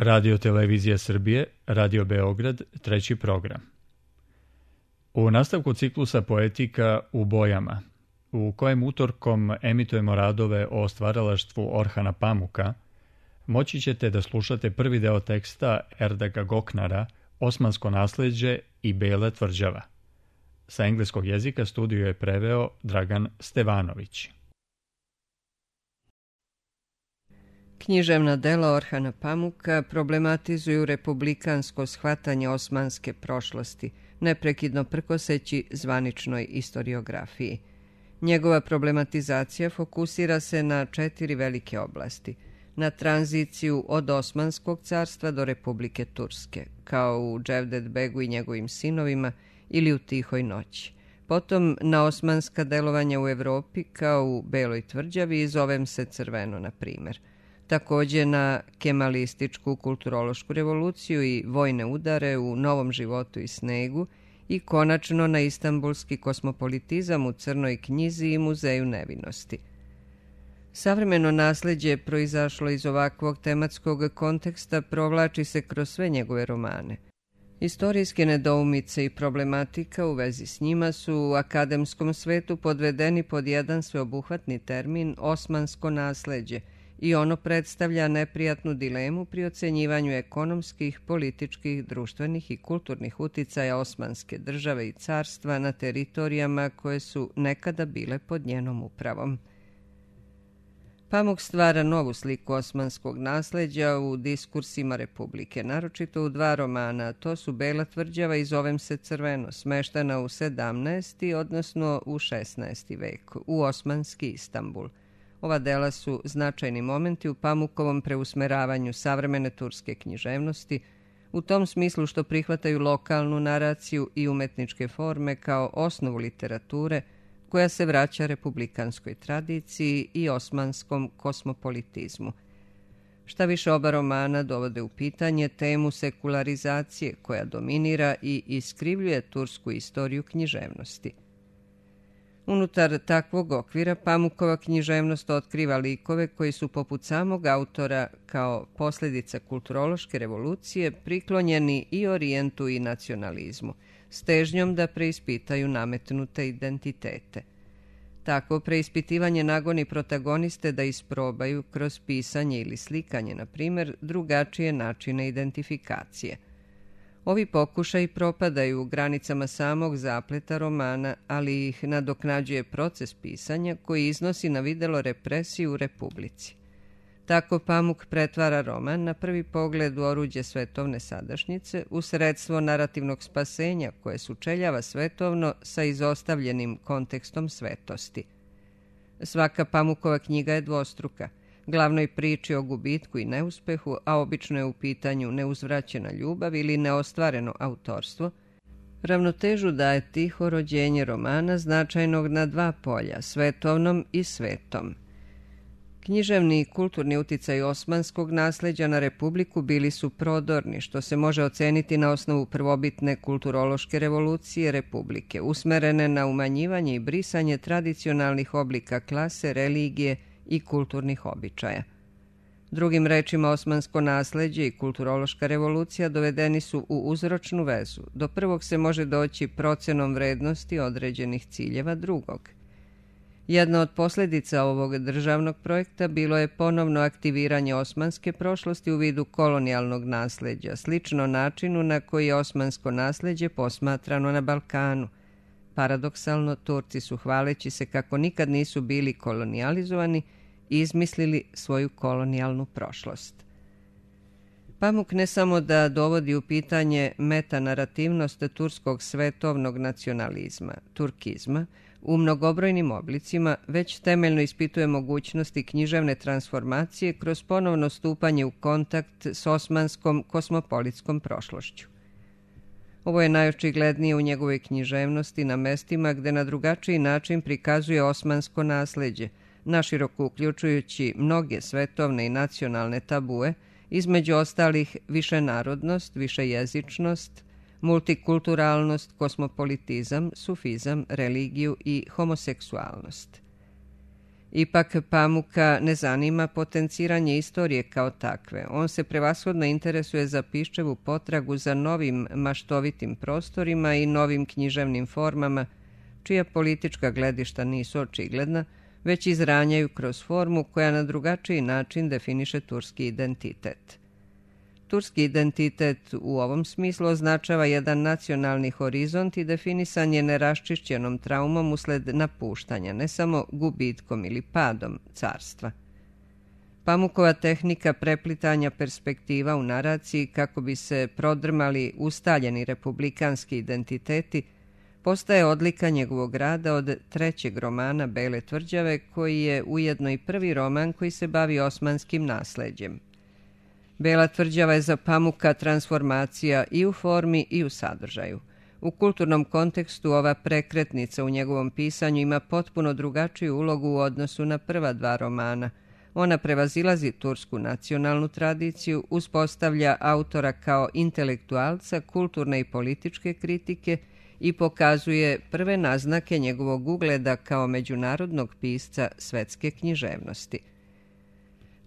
Radio Televizija Srbije, Radio Beograd, treći program. U nastavku ciklusa Poetika u bojama, u kojem utorkom emitujemo radove o stvaralaštvu Orhana Pamuka, moći ćete da slušate prvi deo teksta Erdaga Goknara, Osmansko nasleđe i Bela tvrđava. Sa engleskog jezika studiju je preveo Dragan Stevanović. Književna dela Orhana Pamuka problematizuju republikansko shvatanje osmanske prošlosti, neprekidno prkoseći zvaničnoj istoriografiji. Njegova problematizacija fokusira se na 4 velike oblasti. Na tranziciju od Osmanskog carstva do Republike Turske, kao u Cevdet Begu i njegovim sinovima ili u Tihoj noći. Potom na osmanska delovanja u Evropi, kao u Beloj tvrđavi i Zovem se crveno, na primjer. Također na kemalističku kulturološku revoluciju i vojne udare u Novom životu i snegu i konačno na istanbulski kosmopolitizam u Crnoj knjizi i Muzeju nevinosti. Savremeno nasleđe proizašlo iz ovakvog tematskog konteksta provlači se kroz sve njegove romane. Istorijske nedoumice i problematika u vezi s njima su u akademskom svetu podvedeni pod jedan sveobuhvatni termin osmansko nasleđe i ono predstavlja neprijatnu dilemu pri ocenjivanju ekonomskih, političkih, društvenih i kulturnih uticaja Osmanske države i carstva na teritorijama koje su nekada bile pod njenom upravom. Pamuk stvara novu sliku osmanskog nasleđa u diskursima Republike, naročito u 2 romana, to su Bela tvrđava i Zovem se crveno, smeštena u 17. odnosno u 16. vek, u osmanski Istanbul. Ova dela su značajni momenti u Pamukovom preusmeravanju savremene turske književnosti, u tom smislu što prihvataju lokalnu naraciju i umetničke forme kao osnovu literature, koja se vraća republikanskoj tradiciji i osmanskom kosmopolitizmu. Šta više, oba romana dovode u pitanje temu sekularizacije koja dominira i iskrivljuje tursku istoriju književnosti. Unutar takvog okvira Pamukova književnost otkriva likove koji su poput samog autora kao posljedica kulturološke revolucije priklonjeni i orijentu i nacionalizmu, s težnjom da preispitaju nametnute identitete. Takvo preispitivanje nagoni protagoniste da isprobaju kroz pisanje ili slikanje, na primjer, drugačije načine identifikacije. Ovi pokušaji propadaju u granicama samog zapleta romana, ali ih nadoknađuje proces pisanja koji iznosi na videlo represiju u Republici. Tako Pamuk pretvara roman na prvi pogled u oruđe svetovne sadašnjice, u sredstvo narativnog spasenja koje sučeljava svetovno sa izostavljenim kontekstom svetosti. Svaka Pamukova knjiga je dvostruka. Glavnoj priči o gubitku i neuspehu, a obično je u pitanju neuzvraćena ljubav ili neostvareno autorstvo, ravnotežu daje tiho rođenje romana značajnog na 2 polja, svetovnom i svetom. Književni i kulturni uticaj osmanskog nasleđa na Republiku bili su prodorni, što se može oceniti na osnovu prvobitne kulturološke revolucije Republike, usmerene na umanjivanje i brisanje tradicionalnih oblika klase, religije i kulturnih običaja. Drugim rečima, osmansko nasleđe i kulturološka revolucija dovedeni su u uzročnu vezu. Do prvog se može doći procenom vrednosti određenih ciljeva drugog. Jedna od posljedica ovog državnog projekta bilo je ponovno aktiviranje osmanske prošlosti u vidu kolonijalnog nasleđa, slično načinu na koji je osmansko nasleđe posmatrano na Balkanu. Paradoksalno, Turci su, hvaleći se kako nikad nisu bili kolonijalizovani, izmislili svoju kolonijalnu prošlost. Pamuk ne samo da dovodi u pitanje metanarativnost turskog svetovnog nacionalizma, turkizma, u mnogobrojnim oblicima, već temeljno ispituje mogućnosti književne transformacije kroz ponovno stupanje u kontakt s osmanskom kosmopolitskom prošlošću. Ovo je najočiglednije u njegovoj književnosti na mestima gde na drugačiji način prikazuje osmansko nasleđe, naširoko uključujući mnoge svetovne i nacionalne tabue, između ostalih višenarodnost, višejezičnost, multikulturalnost, kosmopolitizam, sufizam, religiju i homoseksualnost. Ipak Pamuka ne zanima potenciranje istorije kao takve. On se prevashodno interesuje za Piščevu potragu za novim maštovitim prostorima i novim književnim formama, čija politička gledišta nisu očigledna, već izranjaju kroz formu koja na drugačiji način definiše turski identitet. Turski identitet u ovom smislu označava jedan nacionalni horizont i definisan je neraščišćenom traumom usled napuštanja, ne samo gubitkom ili padom carstva. Pamukova tehnika preplitanja perspektiva u naraciji kako bi se prodrmali ustaljeni republikanski identiteti postaje odlika njegovog rada od trećeg romana Bele tvrđave, koji je ujedno i prvi roman koji se bavi osmanskim nasleđem. Bela tvrđava je za Pamuka transformacija i u formi i u sadržaju. U kulturnom kontekstu ova prekretnica u njegovom pisanju ima potpuno drugačiju ulogu u odnosu na prva dva romana. Ona prevazilazi tursku nacionalnu tradiciju, uspostavlja autora kao intelektualca, kulturne i političke kritike i pokazuje prve naznake njegovog ugleda kao međunarodnog pisca svetske književnosti.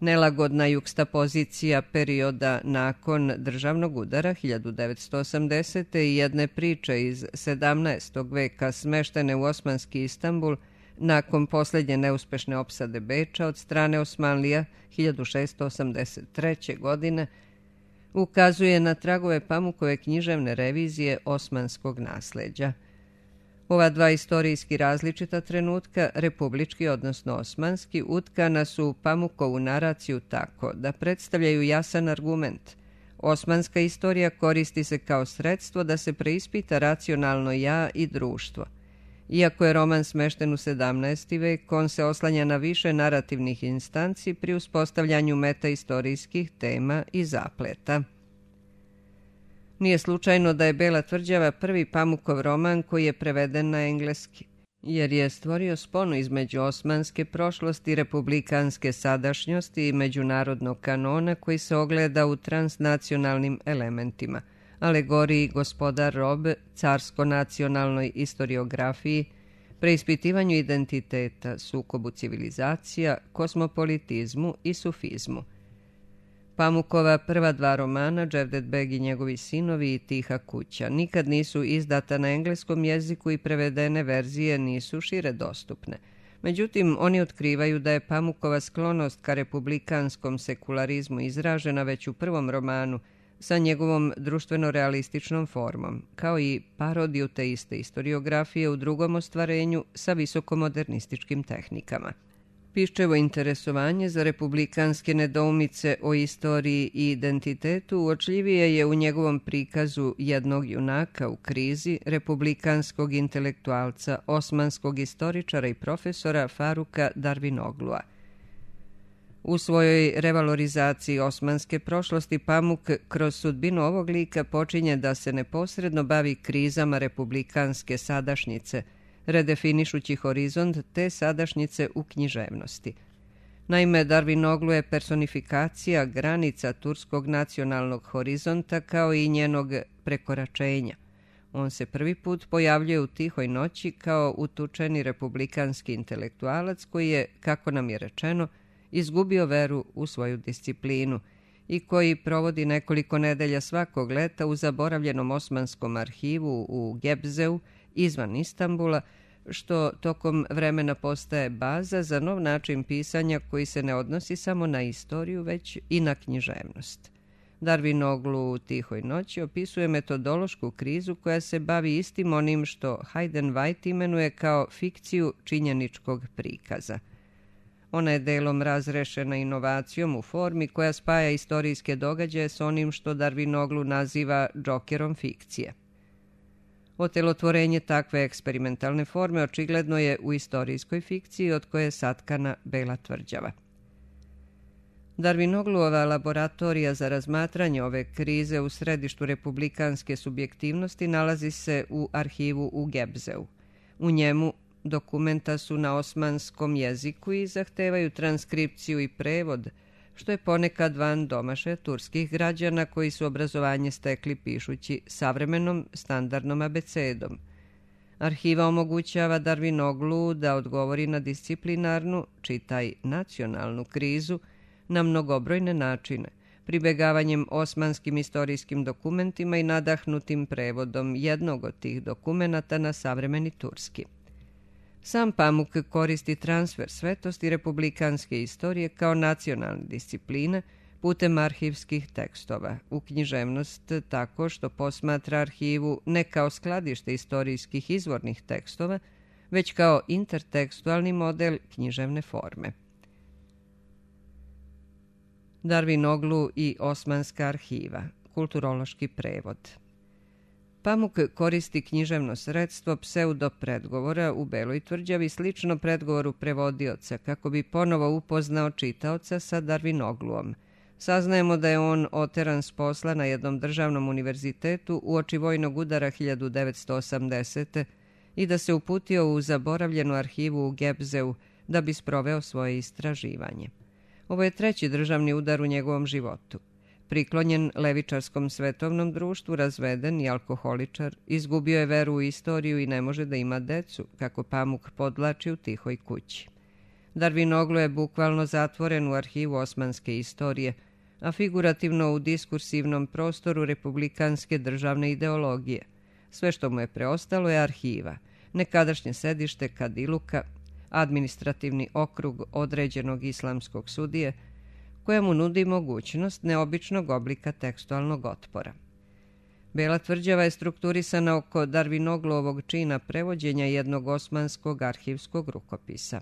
Nelagodna jukstapozicija perioda nakon državnog udara 1980. i jedne priče iz 17. veka smeštene u osmanski Istanbul nakon posljednje neuspešne opsade Beča od strane Osmanlija 1683. godine ukazuje na tragove Pamukove književne revizije osmanskog nasleđa. Ova dva istorijski različita trenutka, republički odnosno osmanski, utkana su u Pamukovu naraciju tako da predstavljaju jasan argument. Osmanska istorija koristi se kao sredstvo da se preispita racionalno ja i društvo. Iako je roman smešten u 17. vek, on se oslanja na više narativnih instanci pri uspostavljanju metaistorijskih tema i zapleta. Nije slučajno da je Bela tvrđava prvi Pamukov roman koji je preveden na engleski, jer je stvorio sponu između osmanske prošlosti, republikanske sadašnjosti i međunarodnog kanona koji se ogleda u transnacionalnim elementima, alegoriji gospodar rob, carsko-nacionalnoj istoriografiji, preispitivanju identiteta, sukobu civilizacija, kosmopolitizmu i sufizmu. Pamukova prva dva romana, Cevdet Beg i njegovi sinovi i Tiha kuća, nikad nisu izdata na engleskom jeziku i prevedene verzije nisu šire dostupne. Međutim, oni otkrivaju da je Pamukova sklonost ka republikanskom sekularizmu izražena već u prvom romanu sa njegovom društveno-realističnom formom, kao i parodiju te iste istoriografije u drugom ostvarenju sa visokomodernističkim tehnikama. Piščevo interesovanje za republikanske nedoumice o istoriji i identitetu uočljivije je u njegovom prikazu jednog junaka u krizi, republikanskog intelektualca, osmanskog istoričara i profesora Faruka Darvinoglua. U svojoj revalorizaciji osmanske prošlosti Pamuk kroz sudbinu ovog lika počinje da se neposredno bavi krizama republikanske sadašnjice, redefinišući horizont te sadašnjice u književnosti. Naime, Darvinoglu je personifikacija granica turskog nacionalnog horizonta kao i njenog prekoračenja. On se prvi put pojavljuje u Tihoj noći kao utučeni republikanski intelektualac koji je, kako nam je rečeno, izgubio veru u svoju disciplinu i koji provodi nekoliko nedelja svakog leta u zaboravljenom osmanskom arhivu u Gebzeu, izvan Istanbula, što tokom vremena postaje baza za nov način pisanja koji se ne odnosi samo na istoriju, već i na književnost. Darvinoglu u Tihoj noći opisuje metodološku krizu koja se bavi istim onim što Hayden White imenuje kao fikciju činjeničkog prikaza. Ona je delom razrešena inovacijom u formi koja spaja istorijske događaje s onim što Darvinoglu naziva džokerom fikcije. Otelotvorenje takve eksperimentalne forme očigledno je u istorijskoj fikciji od koje je satkana Bela tvrđava. Darvinogluova laboratorija za razmatranje ove krize u središtu republikanske subjektivnosti nalazi se u arhivu u Gebzeu. U njemu dokumenta su na osmanskom jeziku i zahtevaju transkripciju i prevod, što je ponekad van domaše turskih građana koji su obrazovanje stekli pišući savremenom standardnom abecedom. Arhiva omogućava Darwinoglu da odgovori na disciplinarnu, čitaj nacionalnu krizu, na mnogobrojne načine, pribegavanjem osmanskim istorijskim dokumentima i nadahnutim prevodom jednog od tih dokumenata na savremeni turski. Sam Pamuk koristi transfer svetosti republikanske istorije kao nacionalne discipline putem arhivskih tekstova u književnost tako što posmatra arhivu ne kao skladište istorijskih izvornih tekstova, već kao intertekstualni model književne forme. Darwinoglu i Osmanska arhiva, kulturološki prevod. Pamuk koristi književno sredstvo pseudopredgovora u Beloj tvrđavi slično predgovoru prevodioca kako bi ponovo upoznao čitaoca sa Darwinogluom. Saznajemo da je on oteran s posla na jednom državnom univerzitetu uoči vojnog udara 1980. i da se uputio u zaboravljenu arhivu u Gebzeu da bi sproveo svoje istraživanje. Ovo je treći državni udar u njegovom životu. Priklonjen levičarskom svetovnom društvu, razveden i alkoholičar, izgubio je veru u istoriju i ne može da ima decu, kako Pamuk podlači u Tihoj kući. Darwinoglu je bukvalno zatvoren u arhivu osmanske istorije, a figurativno u diskursivnom prostoru republikanske državne ideologije. Sve što mu je preostalo je arhiva, nekadašnje sedište Kadiluka, administrativni okrug određenog islamskog sudije, koja mu nudi mogućnost neobičnog oblika tekstualnog otpora. Bela tvrđava je strukturisana oko Darwinoglovog čina prevođenja jednog osmanskog arhivskog rukopisa.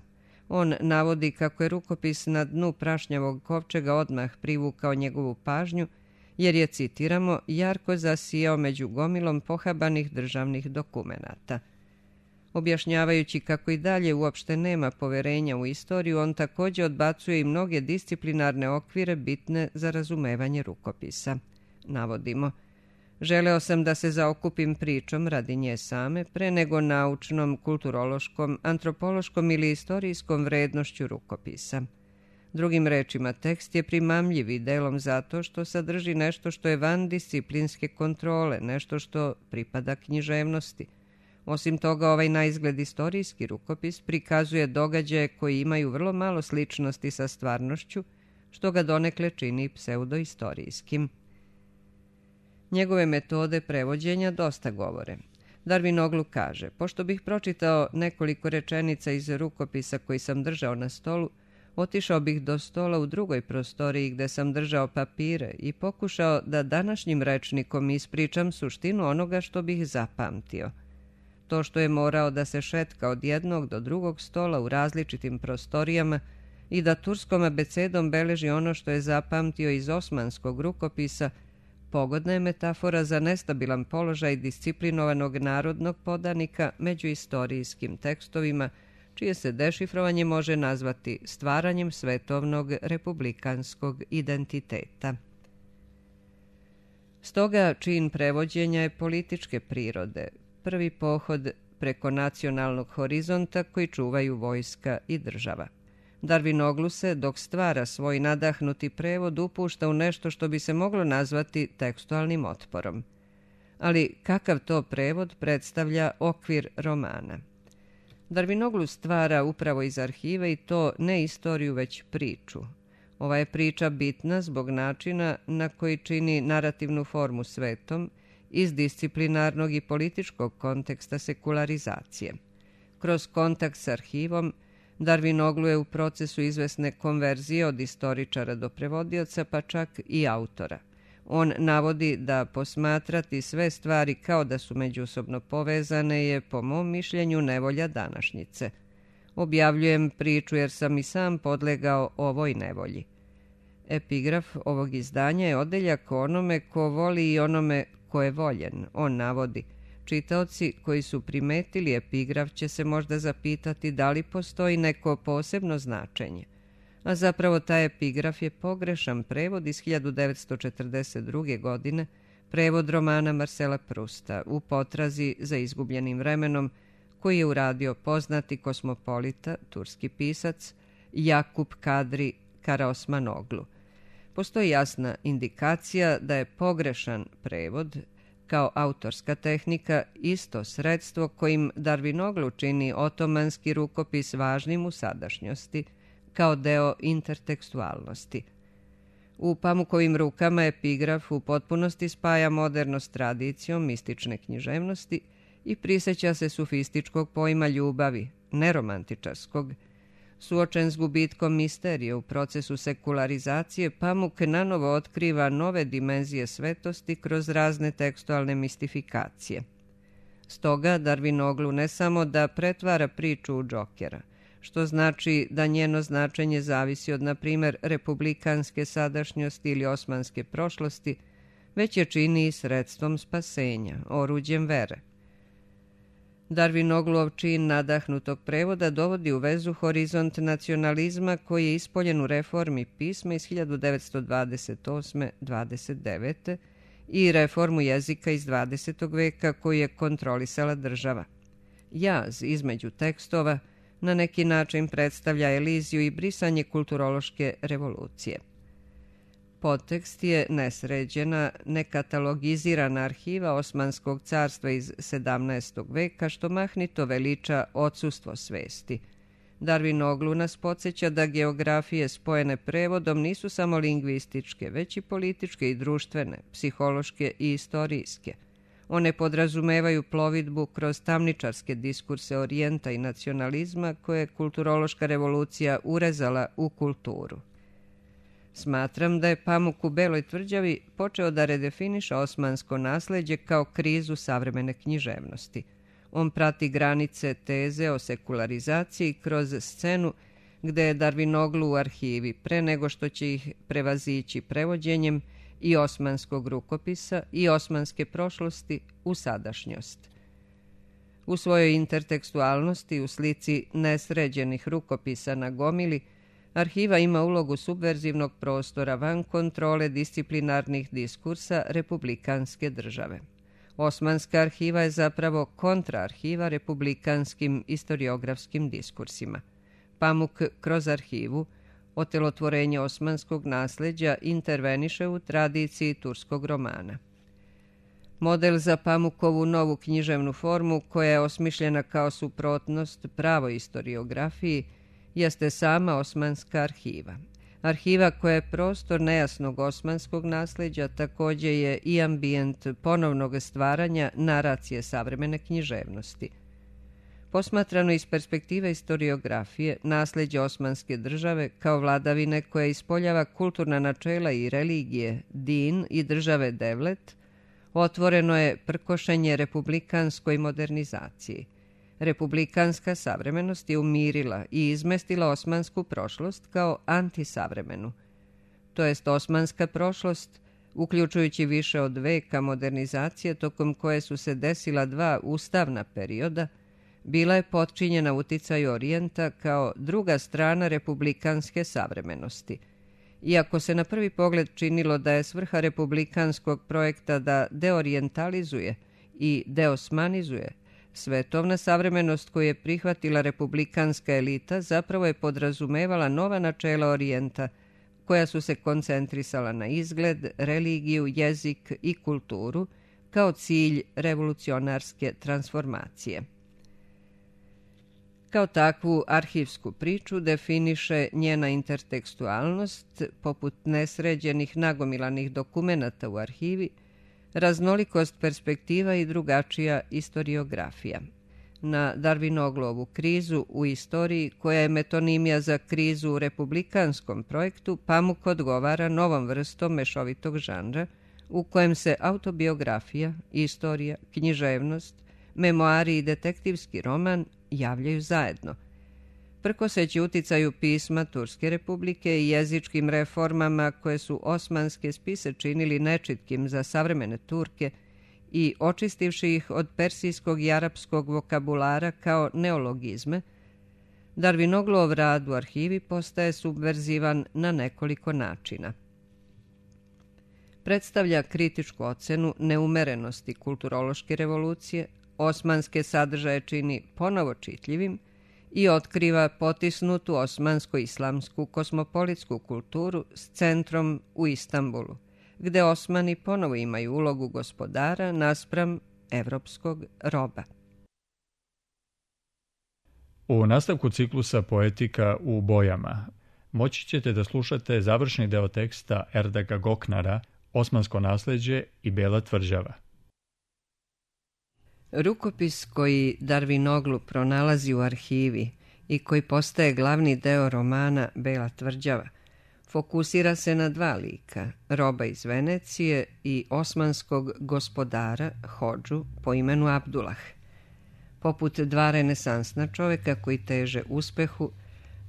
On navodi kako je rukopis na dnu prašnjavog kovčega odmah privukao njegovu pažnju, jer je, citiramo, jarko zasijao među gomilom pohabanih državnih dokumenata. Objašnjavajući kako i dalje uopšte nema poverenja u istoriju, on također odbacuje i mnoge disciplinarne okvire bitne za razumevanje rukopisa. Navodimo, želeo sam da se zaokupim pričom radi nje same, pre nego naučnom, kulturološkom, antropološkom ili istorijskom vrednošću rukopisa. Drugim rečima, tekst je primamljiv i delom zato što sadrži nešto što je van disciplinske kontrole, nešto što pripada književnosti. Osim toga, ovaj naizgled istorijski rukopis prikazuje događaje koji imaju vrlo malo sličnosti sa stvarnošću, što ga donekle čini pseudoistorijskim. Njegove metode prevođenja dosta govore. Darwinoglu kaže, pošto bih pročitao nekoliko rečenica iz rukopisa koji sam držao na stolu, otišao bih do stola u drugoj prostoriji gde sam držao papire i pokušao da današnjim rečnikom ispričam suštinu onoga što bih zapamtio. To što je morao da se šetka od jednog do drugog stola u različitim prostorijama i da turskom abecedom beleži ono što je zapamtio iz osmanskog rukopisa, pogodna je metafora za nestabilan položaj disciplinovanog narodnog podanika među istorijskim tekstovima, čije se dešifrovanje može nazvati stvaranjem svetovnog republikanskog identiteta. Stoga čin prevođenja je političke prirode, prvi pohod preko nacionalnog horizonta koji čuvaju vojska i država. Darwinoglu se, dok stvara svoj nadahnuti prevod, upušta u nešto što bi se moglo nazvati tekstualnim otporom. Ali kakav to prevod predstavlja okvir romana? Darwinoglu stvara upravo iz arhive i to ne istoriju, već priču. Ova je priča bitna zbog načina na koji čini narativnu formu svetom, iz disciplinarnog i političkog konteksta sekularizacije. Kroz kontakt s arhivom, Darwinoglu je u procesu izvesne konverzije od istoričara do prevodioca, pa čak i autora. On navodi da posmatrati sve stvari kao da su međusobno povezane je, po mom mišljenju, nevolja današnjice. Objavljujem priču jer sam i sam podlegao ovoj nevolji. Epigraf ovog izdanja je odeljak o onome ko voli i onome ko je voljen. On navodi, čitaoci koji su primetili epigraf će se možda zapitati da li postoji neko posebno značenje. A zapravo taj epigraf je pogrešan prevod iz 1942. godine, prevod romana Marcela Prusta U potrazi za izgubljenim vremenom, koji je uradio poznati kosmopolita, turski pisac Yakup Kadri Karaosmanoglu. Postoji jasna indikacija da je pogrešan prevod, kao autorska tehnika isto sredstvo kojim Darvinoglu čini otomanski rukopis važnim u sadašnjosti, kao deo intertekstualnosti. U Pamukovim rukama epigraf u potpunosti spaja modernost s tradicijom mistične književnosti i prisjeća se sufističkog pojma ljubavi, neromantičarskog. Suočen s gubitkom misterije u procesu sekularizacije, Pamuk nanovo otkriva nove dimenzije svetosti kroz razne tekstualne mistifikacije. Stoga Darvinoglu ne samo da pretvara priču u Džokera, što znači da njeno značenje zavisi od, na primjer, republikanske sadašnjosti ili osmanske prošlosti, već je čini i sredstvom spasenja, oruđem vere. Darvinoglov čin nadahnutog prevoda dovodi u vezu horizont nacionalizma koji je ispoljen u reformi pisma iz 1928-29 i reformu jezika iz 20. veka koju je kontrolisala država. Jaz između tekstova na neki način predstavlja eliziju i brisanje kulturološke revolucije. Podtekst je nesređena, nekatalogizirana arhiva Osmanskog carstva iz 17. veka, što mahnito veliča odsustvo svesti. Darvinoglu nas podsjeća da geografije spojene prevodom nisu samo lingvističke, već i političke i društvene, psihološke i istorijske. One podrazumevaju plovidbu kroz tamničarske diskurse orijenta i nacionalizma koje je kulturološka revolucija urezala u kulturu. Smatram da je Pamuk u Beloj tvrđavi počeo da redefiniše osmansko nasleđe kao krizu savremene književnosti. On prati granice teze o sekularizaciji kroz scenu gde je Darvinoglu u arhivi pre nego što će ih prevazići prevođenjem i osmanskog rukopisa i osmanske prošlosti u sadašnjost. U svojoj intertekstualnosti u slici nesređenih rukopisa na gomili, arhiva ima ulogu subverzivnog prostora van kontrole disciplinarnih diskursa republikanske države. Osmanska arhiva je zapravo kontraarhiva republikanskim istoriografskim diskursima. Pamuk kroz arhivu, otelotvorenje osmanskog nasleđa, interveniše u tradiciji turskog romana. Model za Pamukovu novu književnu formu, koja je osmišljena kao suprotnost pravoj istoriografiji, jeste sama osmanska arhiva. Arhiva koja je prostor nejasnog osmanskog nasleđa također je i ambijent ponovnog stvaranja naracije savremene književnosti. Posmatrano iz perspektive istoriografije, nasleđe osmanske države kao vladavine koja ispoljava kulturna načela i religije, din i države devlet, otvoreno je prkošenje republikanskoj modernizaciji. Republikanska savremenost je umirila i izmestila osmansku prošlost kao antisavremenu. To jest osmanska prošlost, uključujući više od veka modernizacije tokom koje su se desila dva ustavna perioda, bila je potčinjena uticaju orijenta kao druga strana republikanske savremenosti. Iako se na prvi pogled činilo da je svrha republikanskog projekta da deorijentalizuje i deosmanizuje, svetovna savremenost koju je prihvatila republikanska elita zapravo je podrazumevala nova načela orijenta, koja su se koncentrisala na izgled, religiju, jezik i kulturu kao cilj revolucionarske transformacije. Kao takvu arhivsku priču definiše njena intertekstualnost, poput nesređenih nagomilanih dokumenata u arhivi, raznolikost perspektiva i drugačija istoriografija. Na Darvinoglovu krizu u istoriji, koja je metonimija za krizu u republikanskom projektu, Pamuk odgovara novom vrstom mešovitog žanra, u kojem se autobiografija, istorija, književnost, memoari i detektivski roman javljaju zajedno. Prkoseći uticaju pisma Turske republike i jezičkim reformama koje su osmanske spise činili nečitkim za savremene Turke i očistivši ih od persijskog i arapskog vokabulara kao neologizme, Darvinoglov rad u arhivi postaje subverzivan na nekoliko načina. Predstavlja kritičku ocenu neumerenosti kulturološke revolucije, osmanske sadržaje čini ponovo čitljivim i otkriva potisnutu osmansko-islamsku kosmopolitsku kulturu s centrom u Istanbulu, gde Osmani ponovo imaju ulogu gospodara naspram evropskog roba. U nastavku ciklusa Poetika u bojama moći ćete da slušate završni deo teksta Erdaga Goknara Osmansko nasleđe i Bela tvrđava. Rukopis koji Darvinoglu pronalazi u arhivi i koji postaje glavni deo romana Bela tvrđava fokusira se na dva lika, roba iz Venecije i osmanskog gospodara, hodžu, po imenu Abdulah. Poput dva renesansna čoveka koji teže uspehu,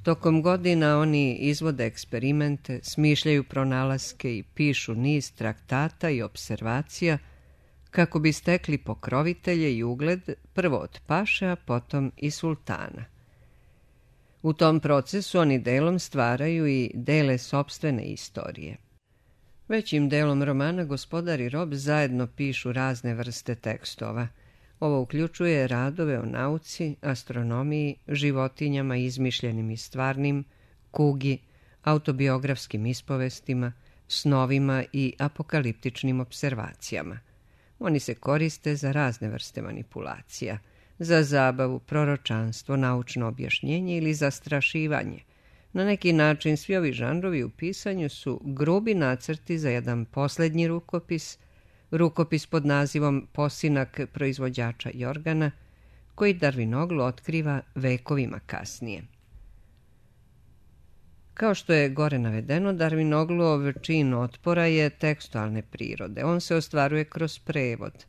tokom godina oni izvode eksperimente, smišljaju pronalaske i pišu niz traktata i observacija kako bi stekli pokrovitelje i ugled prvo od paše, a potom i sultana. U tom procesu oni delom stvaraju i dele sopstvene istorije. Većim delom romana gospodar i rob zajedno pišu razne vrste tekstova. Ovo uključuje radove o nauci, astronomiji, životinjama izmišljenim i stvarnim, kugi, autobiografskim ispovestima, snovima i apokaliptičnim observacijama. Oni se koriste za razne vrste manipulacija, za zabavu, proročanstvo, naučno objašnjenje ili zastrašivanje. Na neki način svi ovi žanrovi u pisanju su grubi nacrti za jedan posljednji rukopis pod nazivom Posinak proizvođača Jorgana, koji Darvinoglu otkriva vekovima kasnije. Kao što je gore navedeno, Darvinoglov čin otpora je tekstualne prirode. On se ostvaruje kroz prevod.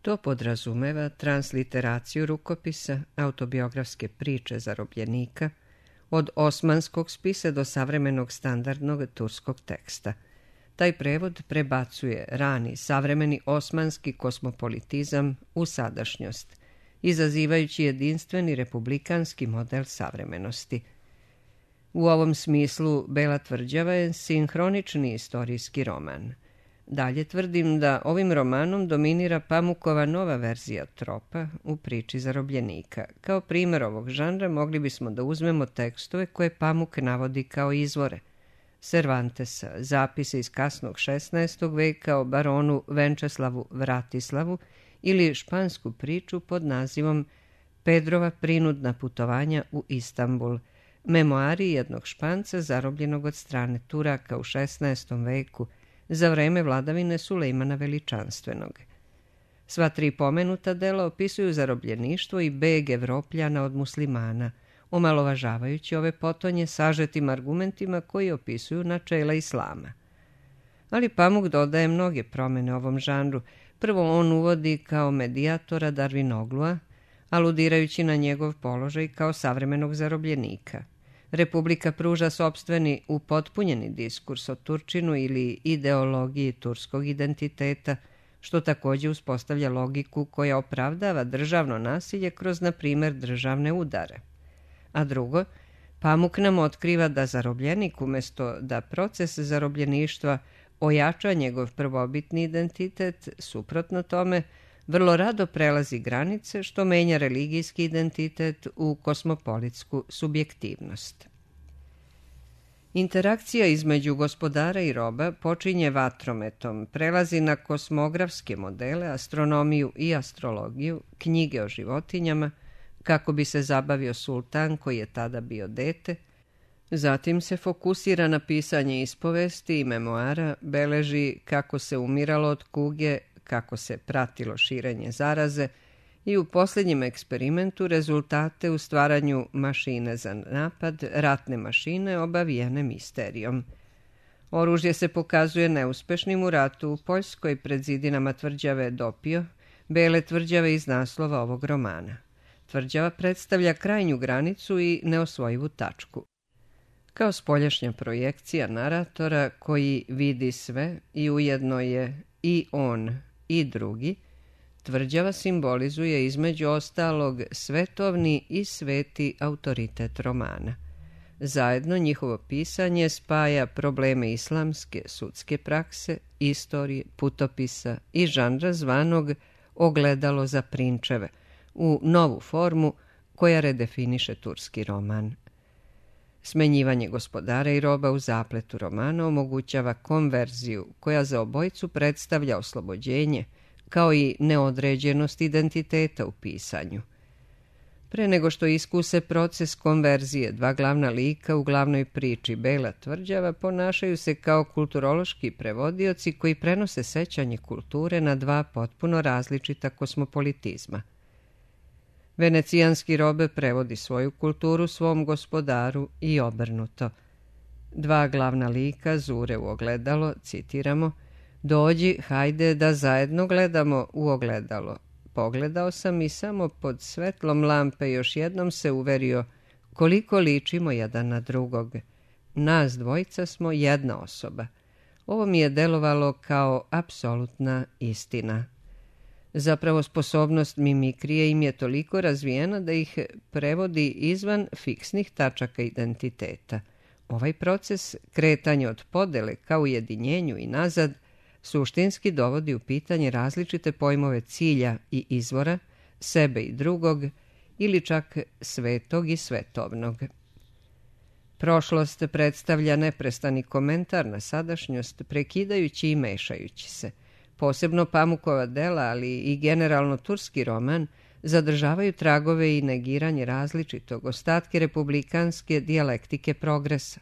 To podrazumeva transliteraciju rukopisa, autobiografske priče zarobljenika, od osmanskog spisa do savremenog standardnog turskog teksta. Taj prevod prebacuje rani savremeni osmanski kosmopolitizam u sadašnjost, izazivajući jedinstveni republikanski model savremenosti. U ovom smislu Bela tvrđava je sinhronični istorijski roman. Dalje tvrdim da ovim romanom dominira Pamukova nova verzija tropa u priči zarobljenika. Kao primjer ovog žanra mogli bismo da uzmemo tekstove koje Pamuk navodi kao izvore. Cervantesa, zapise iz kasnog 16. veka o baronu Venčeslavu Vratislavu ili špansku priču pod nazivom Pedrova prinudna putovanja u Istanbul, memoari jednog Španca zarobljenog od strane Turaka u 16. veku za vreme vladavine Sulejmana Veličanstvenog. Sva tri pomenuta dela opisuju zarobljeništvo i beg Evropljana od muslimana, omalovažavajući ove potonje sažetim argumentima koji opisuju načela islama. Ali Pamuk dodaje mnoge promene ovom žanru. Prvo on uvodi kao medijatora Darvinoglua, aludirajući na njegov položaj kao savremenog zarobljenika. Republika pruža sopstveni upotpunjeni diskurs o Turčinu ili ideologiji turskog identiteta, što također uspostavlja logiku koja opravdava državno nasilje kroz, na primjer, državne udare. A drugo, Pamuk nam otkriva da zarobljenik, umjesto da proces zarobljeništva ojača njegov prvobitni identitet, suprotno tome, vrlo rado prelazi granice, što menja religijski identitet u kosmopolitsku subjektivnost. Interakcija između gospodara i roba počinje vatrometom, prelazi na kosmografske modele, astronomiju i astrologiju, knjige o životinjama, kako bi se zabavio sultan koji je tada bio dete, zatim se fokusira na pisanje ispovesti i memoara, beleži kako se umiralo od kuge, kako se pratilo širenje zaraze i u posljednjem eksperimentu rezultate u stvaranju mašine za napad, ratne mašine obavijene misterijom. Oružje se pokazuje neuspešnim u ratu u Poljskoj pred zidinama tvrđave Dopio, Bele tvrđave iz naslova ovog romana. Tvrđava predstavlja krajnju granicu i neosvojivu tačku. Kao spoljašnja projekcija naratora koji vidi sve i ujedno je i on i drugi, tvrđava simbolizuje između ostalog svetovni i sveti autoritet romana. Zajedno njihovo pisanje spaja probleme islamske sudske prakse, istorije, putopisa i žanra zvanog ogledalo za prinčeve, u novu formu koja redefiniše turski roman. Smenjivanje gospodara i roba u zapletu romana omogućava konverziju koja za obojicu predstavlja oslobođenje, kao i neodređenost identiteta u pisanju. Pre nego što iskuse proces konverzije, dva glavna lika u glavnoj priči Bela tvrđava ponašaju se kao kulturološki prevodioci koji prenose sećanje kulture na dva potpuno različita kosmopolitizma. Venecijanski robe prevodi svoju kulturu svom gospodaru i obrnuto. Dva glavna lika zure u ogledalo, citiramo: "Dođi, hajde da zajedno gledamo u ogledalo. Pogledao sam i samo pod svetlom lampe još jednom se uverio koliko ličimo jedan na drugog. Nas dvojica smo jedna osoba. Ovo mi je delovalo kao apsolutna istina." Zapravo, sposobnost mimikrije im je toliko razvijena da ih prevodi izvan fiksnih tačaka identiteta. Ovaj proces, kretanje od podele ka ujedinjenju i nazad, suštinski dovodi u pitanje različite pojmove cilja i izvora, sebe i drugog, ili čak svetog i svetovnog. Prošlost predstavlja neprestani komentar na sadašnjost, prekidajući i mešajući se. Posebno Pamukova dela, ali i generalno turski roman, zadržavaju tragove i negiranje različitog, ostatke republikanske dijalektike progresa.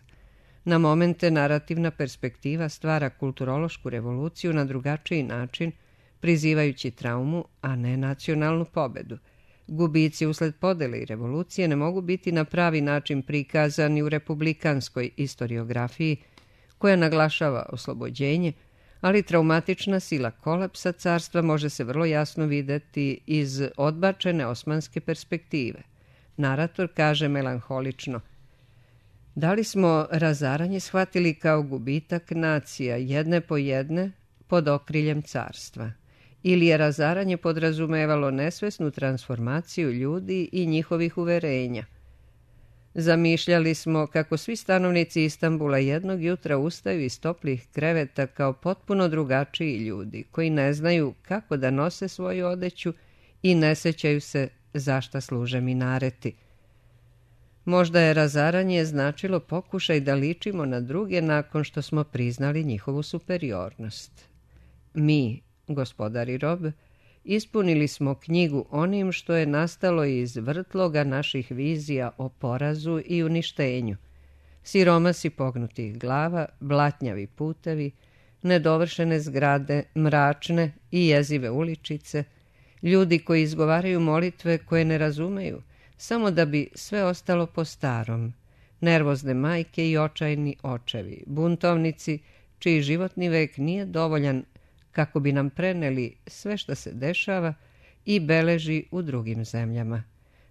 Na momente narativna perspektiva stvara kulturološku revoluciju na drugačiji način, prizivajući traumu, a ne nacionalnu pobedu. Gubici usled podele i revolucije ne mogu biti na pravi način prikazani u republikanskoj istoriografiji, koja naglašava oslobođenje, ali traumatična sila kolapsa carstva može se vrlo jasno videti iz odbačene osmanske perspektive. Narator kaže melanholično: "Da li smo razaranje shvatili kao gubitak nacija jedne po jedne pod okriljem carstva? Ili je razaranje podrazumevalo nesvesnu transformaciju ljudi i njihovih uverenja? Zamišljali smo kako svi stanovnici Istanbula jednog jutra ustaju iz toplih kreveta kao potpuno drugačiji ljudi, koji ne znaju kako da nose svoju odeću i ne sećaju se za šta služe minareti. Možda je razaranje značilo pokušaj da ličimo na druge nakon što smo priznali njihovu superiornost. Mi, gospodari rob, ispunili smo knjigu onim što je nastalo iz vrtloga naših vizija o porazu i uništenju. Siromasi pognutih glava, blatnjavi putevi, nedovršene zgrade, mračne i jezive uličice, ljudi koji izgovaraju molitve koje ne razumeju, samo da bi sve ostalo po starom, nervozne majke i očajni očevi, buntovnici čiji životni vek nije dovoljan kako bi nam preneli sve što se dešava i beleži u drugim zemljama.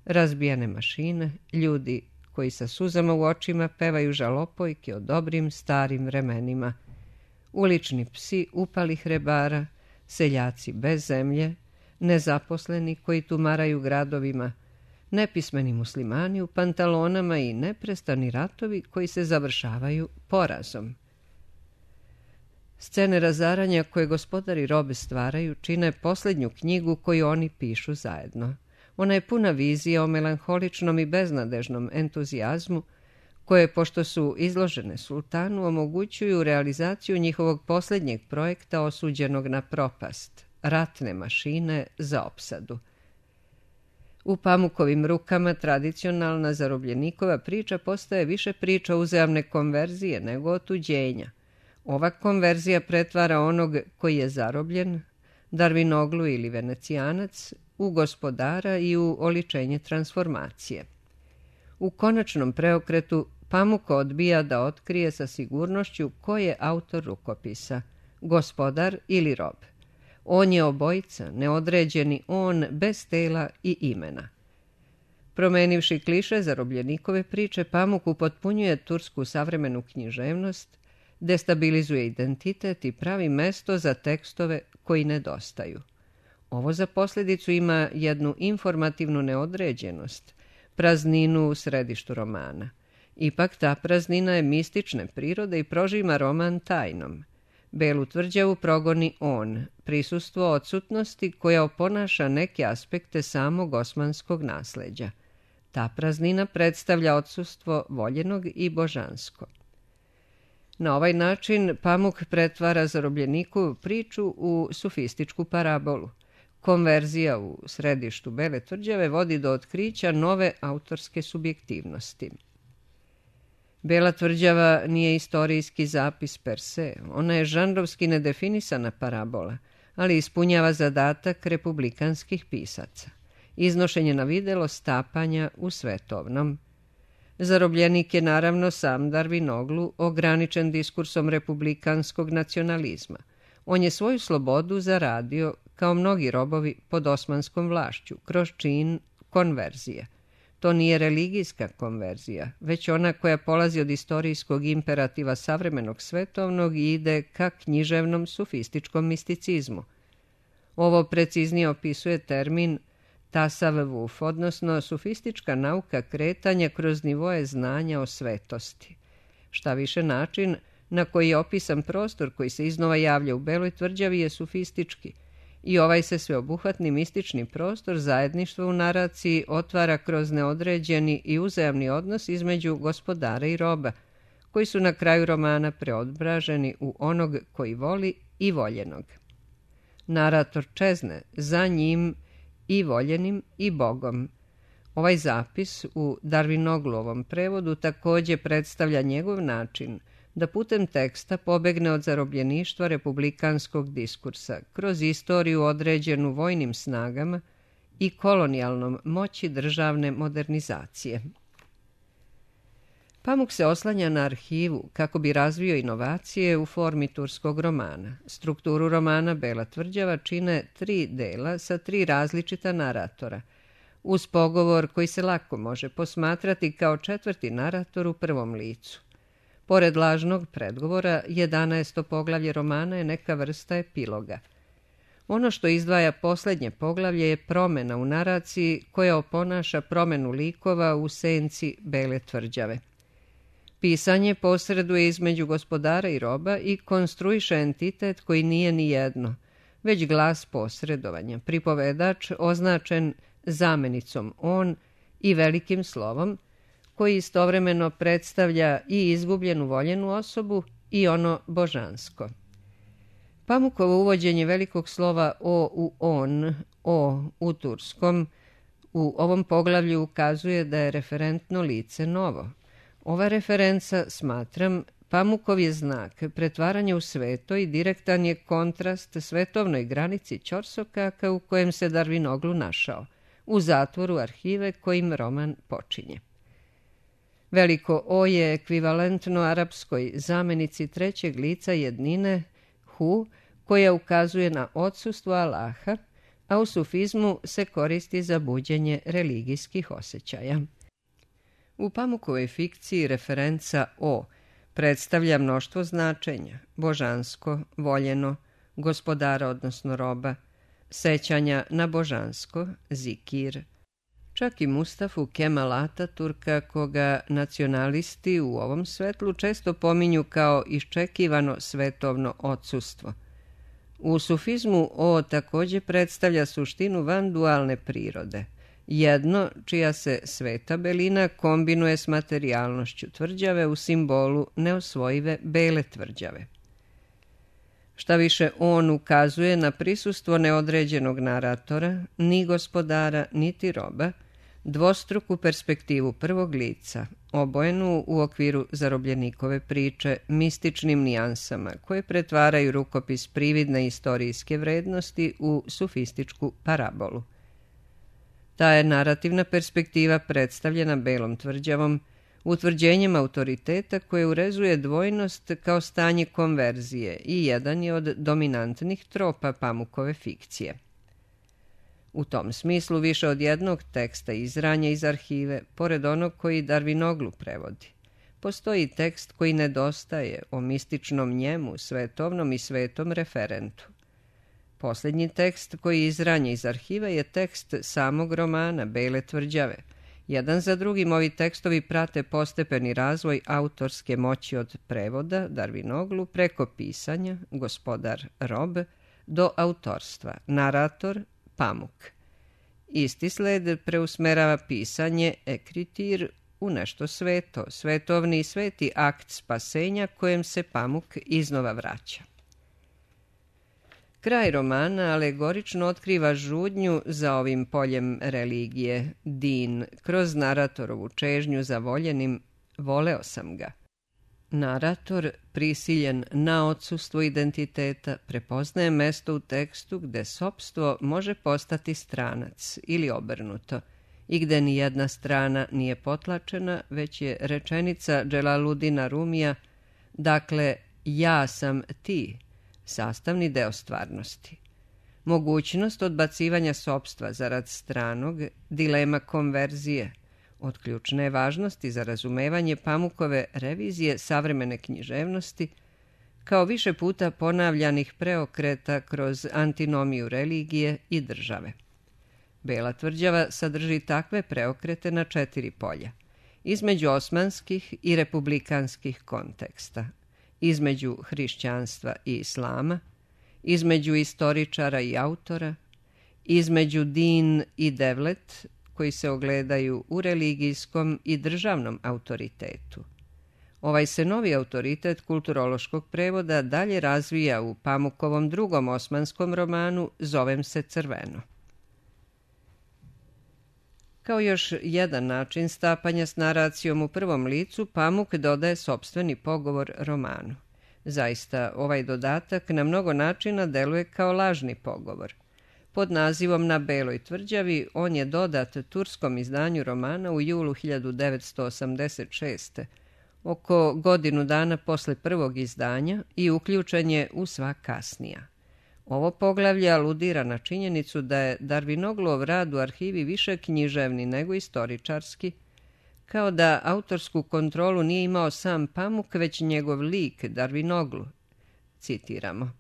Razbijene mašine, ljudi koji sa suzama u očima pevaju žalopojke o dobrim starim vremenima, ulični psi upalih rebara, seljaci bez zemlje, nezaposleni koji tumaraju gradovima, nepismeni muslimani u pantalonama i neprestani ratovi koji se završavaju porazom. Scene razaranja koje gospodari robe stvaraju čine posljednju knjigu koju oni pišu zajedno. Ona je puna vizija o melanholičnom i beznadežnom entuzijazmu koje, pošto su izložene sultanu, omogućuju realizaciju njihovog posljednjeg projekta osuđenog na propast, ratne mašine za opsadu. U Pamukovim rukama tradicionalna zarobljenikova priča postaje više priča uzajamne konverzije nego otuđenja. Ova konverzija pretvara onog koji je zarobljen, Darvinoglu ili Venecijanac, u gospodara i u oličenje transformacije. U konačnom preokretu Pamuko odbija da otkrije sa sigurnošću ko je autor rukopisa, gospodar ili rob. On je obojica, neodređeni on bez tela i imena. Promenivši kliše zarobljenikove priče, Pamuk upotpunjuje tursku savremenu književnost, destabilizuje identitet i pravi mesto za tekstove koji nedostaju. Ovo za posljedicu ima jednu informativnu neodređenost, prazninu u središtu romana. Ipak ta praznina je mistične prirode i prožima roman tajnom. Belu tvrđavu progoni on, prisustvo odsutnosti koja oponaša neke aspekte samog osmanskog nasleđa. Ta praznina predstavlja odsustvo voljenog i božansko. Na ovaj način Pamuk pretvara zarobljeniku priču u sofističku parabolu. Konverzija u središtu Bele tvrđave vodi do otkrića nove autorske subjektivnosti. Bela tvrđava nije istorijski zapis per se, ona je žanrovski nedefinisana parabola, ali ispunjava zadatak republikanskih pisaca. Iznošenje na videlo stapanja u svetovnom. Zarobljenik je naravno sam Darvinoglu, ograničen diskursom republikanskog nacionalizma. On je svoju slobodu zaradio, kao mnogi robovi pod osmanskom vlašću, kroz čin konverzije. To nije religijska konverzija, već ona koja polazi od istorijskog imperativa savremenog svetovnog i ide ka književnom sofističkom misticizmu. Ovo preciznije opisuje termin tasavvuf, odnosno sofistička nauka kretanja kroz nivoje znanja o svetosti. Šta više, način na koji je opisan prostor koji se iznova javlja u Beloj tvrđavi je sofistički i ovaj se sveobuhvatni mistični prostor zajedništva u naraciji otvara kroz neodređeni i uzajamni odnos između gospodara i roba, koji su na kraju romana preobraženi u onog koji voli i voljenog. Narator čezne za njim i voljenim i Bogom. Ovaj zapis u Darvinoglovom prevodu također predstavlja njegov način da putem teksta pobegne od zarobljeništva republikanskog diskursa kroz istoriju određenu vojnim snagama i kolonijalnom moći državne modernizacije. Pamuk se oslanja na arhivu kako bi razvio inovacije u formi turskog romana. Strukturu romana Bela tvrđava čine 3 dela sa 3 različita naratora, uz pogovor koji se lako može posmatrati kao 4. narator u prvom licu. Pored lažnog predgovora, 11. poglavlje romana je neka vrsta epiloga. Ono što izdvaja posljednje poglavlje je promjena u naraciji koja oponaša promjenu likova u senci Bele tvrđave. Pisanje posreduje između gospodara i roba i konstruiše entitet koji nije ni jedno, već glas posredovanja, pripovedač označen zamenicom on i velikim slovom, koji istovremeno predstavlja i izgubljenu voljenu osobu i ono božansko. Pamukovo uvođenje velikog slova o u on, o u turskom, u ovom poglavlju ukazuje da je referentno lice novo. Ova referenca, smatram, Pamukov je znak pretvaranja u sveto i direktan je kontrast svetovnoj granici ćorsokaka u kojem se Darvinoglu našao, u zatvoru arhive kojim roman počinje. Veliko O je ekvivalentno arapskoj zamenici trećeg lica jednine hu, koja ukazuje na odsustvo Allaha, a u sufizmu se koristi za buđenje religijskih osjećaja. U Pamukovoj fikciji referenca O predstavlja mnoštvo značenja, božansko, voljeno, gospodara odnosno roba, sećanja na božansko, zikir. Čak i Mustafu Kemal Ataturka, koga nacionalisti u ovom svetlu često pominju kao iščekivano svetovno odsustvo. U sufizmu O također predstavlja suštinu vandualne prirode, jedno čija se sveta belina kombinuje s materijalnošću tvrđave u simbolu neosvojive Bele tvrđave. Šta više, on ukazuje na prisustvo neodređenog naratora, ni gospodara, niti roba, dvostruku perspektivu prvog lica, obojenu u okviru zarobljenikove priče mističnim nijansama koje pretvaraju rukopis prividne istorijske vrednosti u sofističku parabolu. Ta je narativna perspektiva predstavljena Belom tvrđavom, utvrđenjem autoriteta koje urezuje dvojnost kao stanje konverzije i jedan je od dominantnih tropa Pamukove fikcije. U tom smislu više od jednog teksta izranja iz arhive, pored onog koji Darvinoglu prevodi. Postoji tekst koji nedostaje o mističnom njemu, svetovnom i svetom referentu. Posljednji tekst koji izranja iz arhive je tekst samog romana Bele tvrđave. Jedan za drugim ovi tekstovi prate postepeni razvoj autorske moći od prevoda Darvinoglu preko pisanja, gospodar rob, do autorstva, narator, Pamuk. Isti sled preusmerava pisanje ekritir u nešto sveto, svetovni i sveti akt spasenja kojem se Pamuk iznova vraća. Kraj romana alegorično otkriva žudnju za ovim poljem religije, din, kroz naratorovu čežnju za voljenim, voleo sam ga. Narator, prisiljen na odsustvo identiteta, prepoznaje mesto u tekstu gde sopstvo može postati stranac ili obrnuto i gde ni jedna strana nije potlačena, već je rečenica Dželaludina Rumija, dakle, ja sam ti, sastavni deo stvarnosti. Mogućnost odbacivanja sopstva zarad stranog, dilema konverzije, od ključne važnosti za razumevanje Pamukove revizije savremene književnosti, kao više puta ponavljanih preokreta kroz antinomiju religije i države. Bela tvrđava sadrži takve preokrete na 4 polja, između osmanskih i republikanskih konteksta, između hrišćanstva i islama, između istoričara i autora, između din i devlet, koji se ogledaju u religijskom i državnom autoritetu. Ovaj se novi autoritet kulturološkog prevoda dalje razvija u Pamukovom drugom osmanskom romanu Zovem se crveno. Kao još jedan način stapanja s naracijom u prvom licu, Pamuk dodaje sopstveni pogovor romanu. Zaista, ovaj dodatak na mnogo načina deluje kao lažni pogovor. Pod nazivom Na beloj tvrđavi on je dodat turskom izdanju romana u julu 1986. oko godinu dana posle prvog izdanja i uključen je u sva kasnija. Ovo poglavlje aludira na činjenicu da je Darwinoglov rad u arhivi više književni nego istoričarski, kao da autorsku kontrolu nije imao sam Pamuk, već njegov lik Darwinoglu. Citiramo.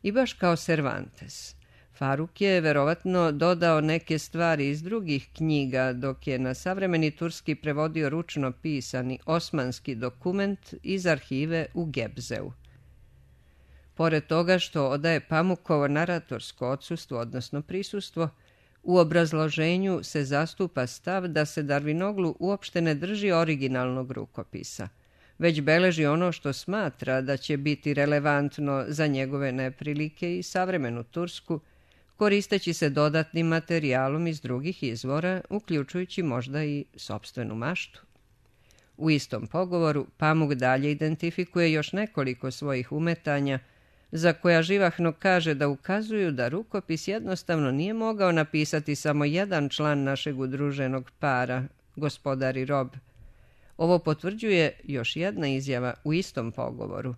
I baš kao Cervantes, Faruk je verovatno dodao neke stvari iz drugih knjiga, dok je na savremeni turski prevodio ručno pisani osmanski dokument iz arhive u Gebzeu. Pored toga što odaje Pamukovo naratorsko odsustvo, odnosno prisustvo, u obrazloženju se zastupa stav da se Darwinoglu uopšte ne drži originalnog rukopisa, već beleži ono što smatra da će biti relevantno za njegove neprilike i savremenu Tursku, koristeći se dodatnim materijalom iz drugih izvora, uključujući možda i sopstvenu maštu. U istom pogovoru Pamuk dalje identifikuje još nekoliko svojih umetanja, za koja živahno kaže da ukazuju da rukopis jednostavno nije mogao napisati samo jedan član našeg udruženog para, gospodar i rob. Ovo potvrđuje još jedna izjava u istom pogovoru.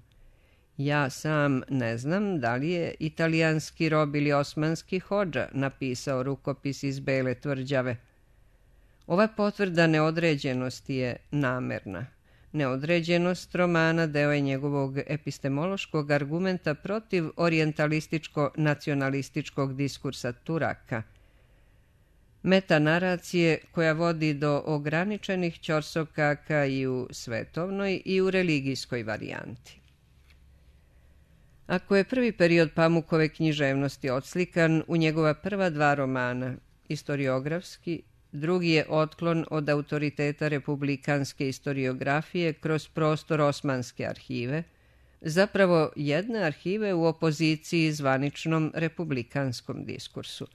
Ja sam ne znam da li je italijanski rob ili osmanski hodža napisao rukopis iz Bele tvrđave. Ova potvrda neodređenosti je namerna. Neodređenost romana deo je njegovog epistemološkog argumenta protiv orijentalističko-nacionalističkog diskursa Turaka, metanaracije koja vodi do ograničenih ćorsokaka i u svetovnoj i u religijskoj varijanti. Ako je prvi period Pamukove književnosti odslikan u njegova prva 2 romana, istoriografski, drugi je otklon od autoriteta republikanske istoriografije kroz prostor osmanske arhive, zapravo jedne arhive u opoziciji zvaničnom republikanskom diskursu.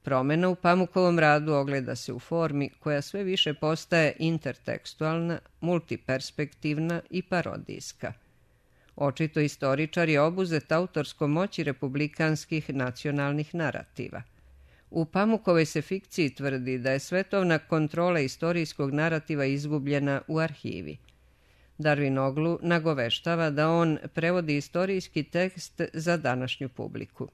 Promena u Pamukovom radu ogleda se u formi koja sve više postaje intertekstualna, multiperspektivna i parodijska. Očito istoričar je obuzet autorskom moći republikanskih nacionalnih narativa. U Pamukovoj se fikciji tvrdi da je svetovna kontrola istorijskog narativa izgubljena u arhivi. Darwinoglu nagoveštava da on prevodi istorijski tekst za današnju publiku.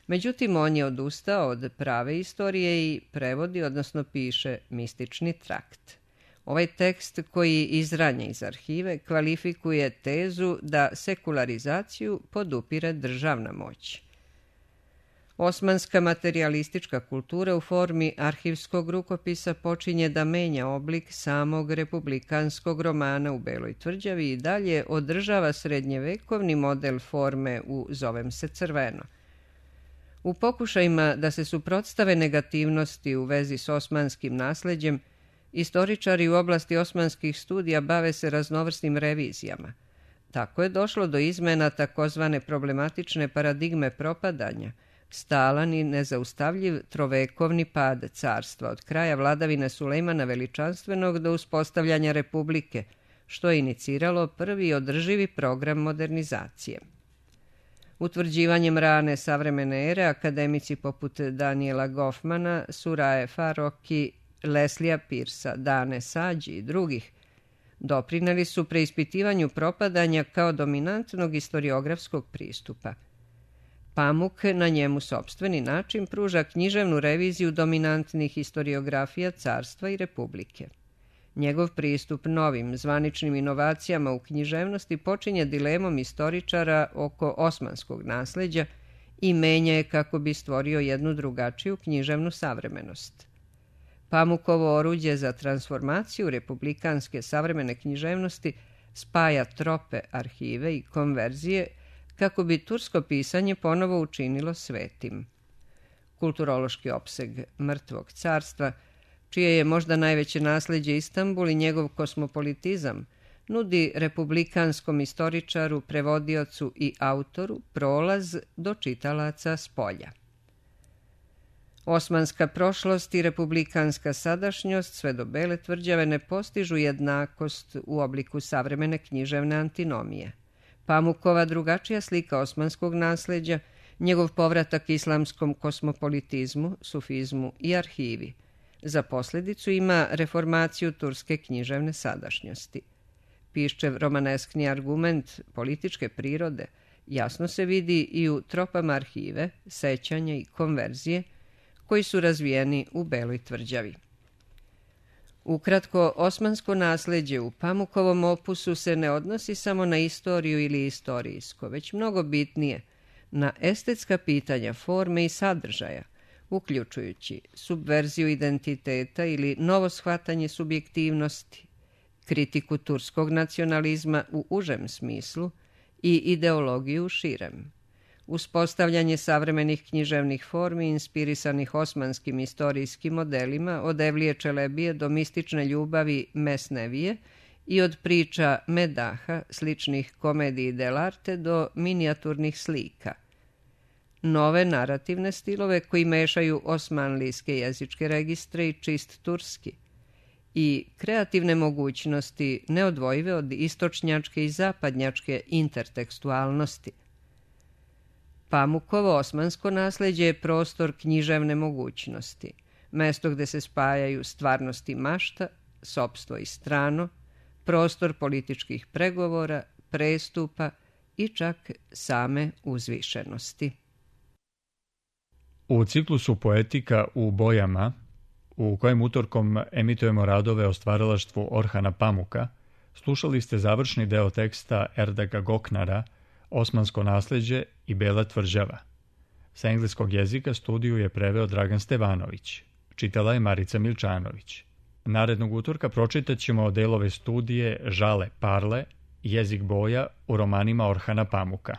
Međutim, on je odustao od prave istorije i prevodi, odnosno piše, mistični trakt. Ovaj tekst koji izranja iz arhive kvalifikuje tezu da sekularizaciju podupire državna moć. Osmanska materijalistička kultura u formi arhivskog rukopisa počinje da menja oblik samog republikanskog romana u Beloj tvrđavi i dalje održava srednjevekovni model forme u Zovem se crveno. U pokušajima da se suprotstave negativnosti u vezi s osmanskim nasleđem, istoričari u oblasti osmanskih studija bave se raznovrsnim revizijama. Tako je došlo do izmena takozvane problematične paradigme propadanja, stalan i nezaustavljiv trovekovni pad carstva od kraja vladavine Sulejmana Veličanstvenog do uspostavljanja republike, što je iniciralo prvi održivi program modernizacije. Utvrđivanjem rane savremene ere, akademici poput Daniela Goffmana, Suraje Faroki, Leslija Pirsa, Dane Sađi i drugih doprineli su preispitivanju propadanja kao dominantnog istoriografskog pristupa. Pamuk na njemu sopstveni način pruža književnu reviziju dominantnih historiografija carstva i republike. Njegov pristup novim zvaničnim inovacijama u književnosti počinje dilemom istoričara oko osmanskog nasleđa i menja je kako bi stvorio jednu drugačiju književnu savremenost. Pamukovo oruđe za transformaciju republikanske savremene književnosti spaja trope, arhive i konverzije kako bi tursko pisanje ponovo učinilo svetim. Kulturološki opseg mrtvog carstva, čije je možda najveće nasleđe Istanbul i njegov kosmopolitizam, nudi republikanskom istoričaru, prevodiocu i autoru prolaz do čitalaca s polja. Osmanska prošlost i republikanska sadašnjost sve do Bele tvrđave ne postižu jednakost u obliku savremene književne antinomije. Pamukova drugačija slika osmanskog nasleđa, njegov povratak islamskom kosmopolitizmu, sufizmu i arhivi, za posljedicu ima reformaciju turske književne sadašnjosti. Piščev romaneskni argument političke prirode jasno se vidi i u tropama arhive, sećanja i konverzije, koji su razvijeni u Beloj tvrđavi. Ukratko, osmansko nasleđe u Pamukovom opusu se ne odnosi samo na istoriju ili istorijsko, već mnogo bitnije na estetska pitanja forme i sadržaja, uključujući subverziju identiteta ili novo shvatanje subjektivnosti, kritiku turskog nacionalizma u užem smislu i ideologiju u širem, uspostavljanje savremenih književnih formi inspirisanih osmanskim istorijskim modelima od Evlije Čelebije do mistične ljubavi Mesnevije i od priča Medaha, sličnih komediji dell'arte do minijaturnih slika. Nove narativne stilove koji mešaju osmanlijske jezičke registre i čist turski i kreativne mogućnosti neodvojive od istočnjačke i zapadnjačke intertekstualnosti. Pamukovo osmansko nasleđe je prostor književne mogućnosti, mesto gde se spajaju stvarnost i mašta, sopstvo i strano, prostor političkih pregovora, prestupa i čak same uzvišenosti. U ciklusu Poetika u bojama, u kojem utorkom emitujemo radove o stvaralaštvu Orhana Pamuka, slušali ste završni deo teksta Erdaga Goknara Osmansko nasleđe i Bela tvrđava. Sa engleskog jezika studiju je preveo Dragan Stevanović. Čitala je Marica Milčanović. Narednog utorka pročitat ćemo delove studije Žale Parle, Jezik boja u romanima Orhana Pamuka.